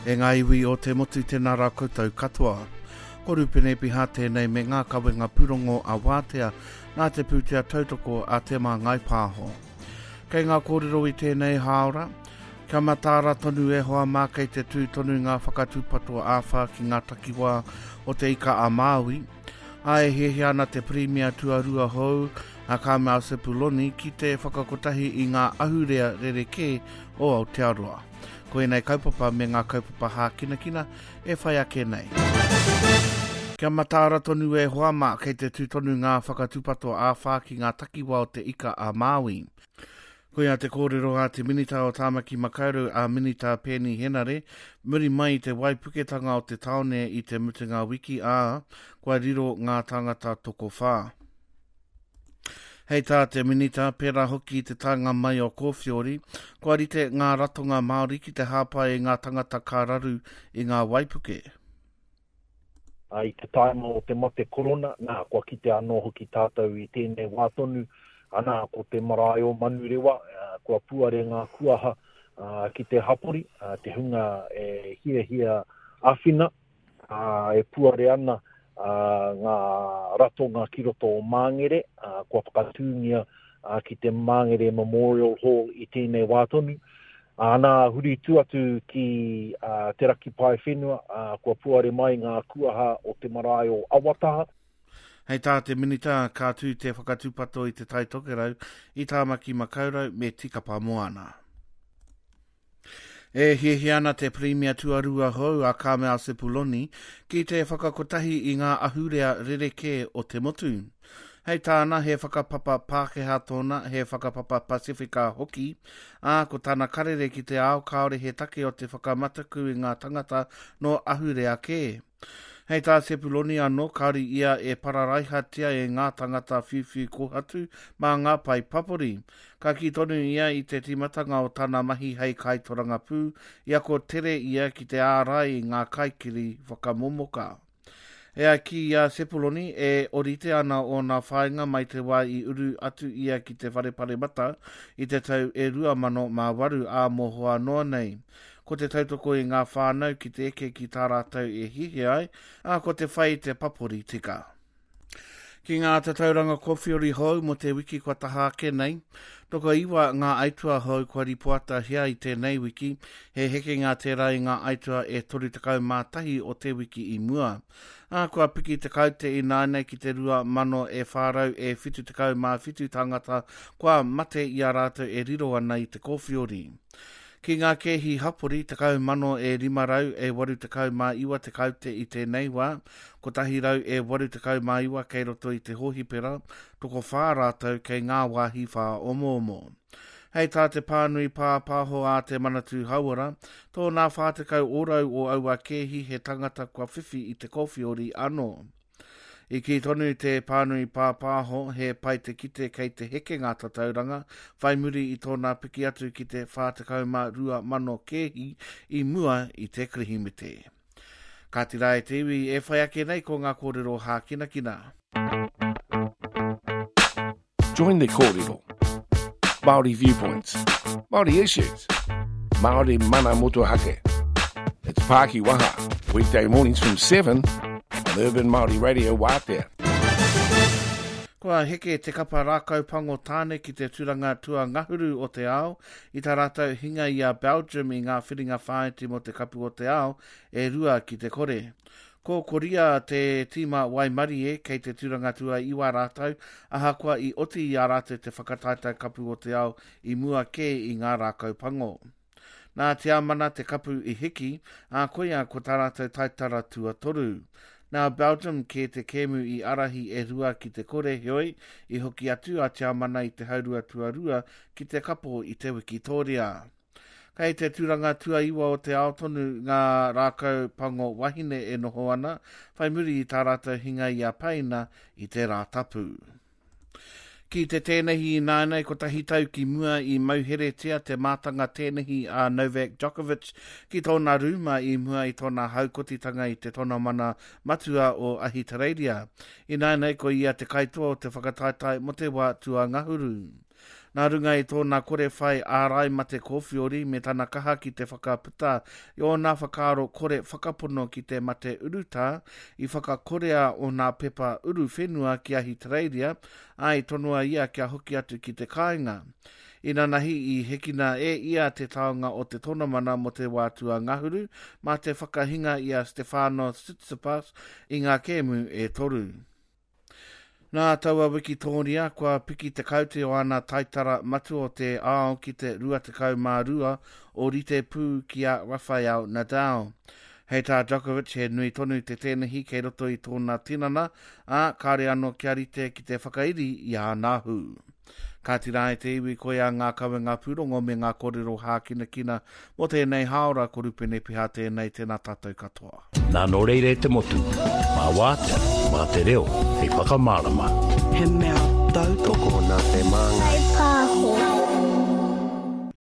E ngā iwi o te motu tēnā rā koutou katoa. Ko Rupene Piha tēnei me ngā kawenga pūrongo a Wātea nā te pūtea tautoko a Te Māngai Pāho. Kei ngā kōrero i tēnei hāora, kia mataara tonu e hoa mā kei te tū tonu ngā whakatūpato āwhā ki ngā takiwā o Te Ika-a-Māui, ā, e hiahia ana te Pirimia tuarua hou a Carmel Sepuloni ki te whakakotahi i ngā ahurea rerekē o Aotearoa. Ko ēnei kaupapa me ngā kaupapa hākinakina e whai ake nei. Kia mataara tonu e hoa mā, kei te tū tonu ngā whakatūpato āwhā ki ngā takiwā o Te Ika a Māui. Koia te kōrero a te Minita o Tāmaki Makaurau a Minita Peeni Henare, muri mai i te waipuketanga o te tāone i te mutunga wiki, ā, kua riro ngā tāngata tokowhā. Hei tā te Minita, pērā hoki i te taenga mai o Kōwhiori, kua rite ngā ratonga Māori ki te hāpai i ngā tangata ka raru i ngā waipuke. I te taima o te mate korona, nā, kua kite anō hoki tātou i tēnei wā tonu, ana, ko te marae o Manurewa, kua puare ngā kuaha ki te hapori, te hunga e hiahia āwhina, e puare ana ngā ratonga ki roto o Māngere, kua whakatūngia ki te Māngere Memorial Hall i tēnei wā tonu. Ā, nā, huri tū atu ki Te Raki Paewhenua, ā, kua puare mai ngā kuaha o te marae o Awataha. Hei tā te Minita, ka tū te whakatūpato i Te Tai Tokerau, i Tāmaki Makaurau me Tikapa Moana. E hiahia ana te Pirimia tuarua hou a Carmel Sepuloni ki te whakakotahi i ngā ahurea rerekē o te motu. Hei tāna, he whakapapa Pākehā tōna, he whakapapa Pasifika hoki, ā, ko tana karere ki te ao kāore he take o te whakamataku i ngā tangata nō ahurea kē. Hei tā Sepuloni anō, kāore ia e pararaihatia e ngā tangata whiuwhiu kōhatu mā ngā pae papori. Ka kī tonu ia i te tīmatanga o tana mahi hei kaitorangapū, i ako tere ia ki te ārai i ngā kaikiri whakamomoka. E ai ki a Sepuloni, e orite ana ōna whāinga mai te wā i uru atu ia ki te Whare Paremata i te tau e 2008 ā mohoa noa nei. Ko te tautoko i ngā whānau ki te eke ki tā rātou e hiahia ai, ā, ko te whai i te papori tika. Ki ngā tatauranga kōwhiori hou mō te wiki kua taha ake nei, tokoiwa ngā aituā hou kua ripoatahia i tēnei wiki, he hekenga tērā i ngā aituā e 31 o te wiki i mua. Ā, kua piki te kaute ināianei ki te 2,000 e 400 e 77 tāngata kua mate i a rātou e riro ana i te kōwhiori. Ki ngā kēhi hapori, 10 mano e 500 e 89 te kaute i tēnei wā, 100 e 89 kei roto i te hōhipera, tokowhā rātou kei ngā wāhi whāomoomo. Hei tā te pānui pāpāho a Te Manatū Hauora, tōnā 40 ōrau o aua kēhi he tangata kua whiwhi i te kōwhiori anō. I kī tonu te pānui pāpāho he pai te kite kei te heke ngā tatauranga, whai muri i tōna piki atu ki te 42,000 kēhi i mua i te Kirihimete. Kāti rā e te iwi, e whai ake nei ko ngā kōrero hākinakina. Join the kōrero. Māori viewpoints, Māori issues, Māori mana motuhake. It's Pāki Waha, weekday mornings from 7 on Urban Māori Radio Wātea. Kua heke te kapa rākau pango tāne ki te turanga tuangahuru o te ao i tā rātou hinga i a Belgium i ngā whiringa whāiti mō te Kapu o te Ao e 2-0. Ko Koria te tīma waimarie kei te turanga tuaiwa rātou ahakoa i oti i a rātou te whakataetae Kapu o te Ao i mua kē i ngā rākau pango. Nā Tiamana te kapu i hiki, ā, koia ko tā rātou taitara tuatoru. Nā Belgium kē te kēmu i ārahi e 2-0 heoi, i hoki atu a Tiamana i te haurua tuarua ki te kapo i te wikitōria. Kei te turanga tuaiwa o te ao tonu ngā rākau pango wahine e noho ana, whai muri i tā rātou hinga i a Paina i te Rātapu. Ki te tēnehi ināianei, kotahi tau ki mua i mauheretia te mātanga tēnehi a Novak Djokovic ki tōna rūma i mua i tōna haukotitanga i te tonamana matua o Ahitereiria. Ināianei ko ia te kaitoa o te whakataetae mo te wā tuangahuru. Nā runga i tōna kore whai ārai mate kōwhiori me tana kaha ki te whakaputa i ōna whakaaro kore whakapono ki te mate urutā, i whakakorea ōna pepa uruwhenua ki Ahitereiria, ā, i tonoa ia kia hoki atu ki te kāinga. Inanahi i hekina e ia te taonga o te tonamana mō te wā tuangahuru mā te whakahinga i a Stefanos Tsitsipas i ngā kēmu e toru. Nā taua wikitōria, kua piki te kaute o ana taitara matua o te ao ki te 22, ōrite pū ki a Rafael Nadal. Hei tā Djokovic he nui tonu te tēnehi kei roto i tōna tinana, ā, kāore anō kia rite ki te whakairi i āna hū. Kāti rā e te iwi koia ngā kawenga pūrongo me ngā kōrero hākinakina mō tēnei hāora ko Rupene Piha tēnei tēnā tātou katoa. Nā nō reira e te motu, mā wātea, mā te reo hei whakamārama. He mea tautoko. Tokona te māngai.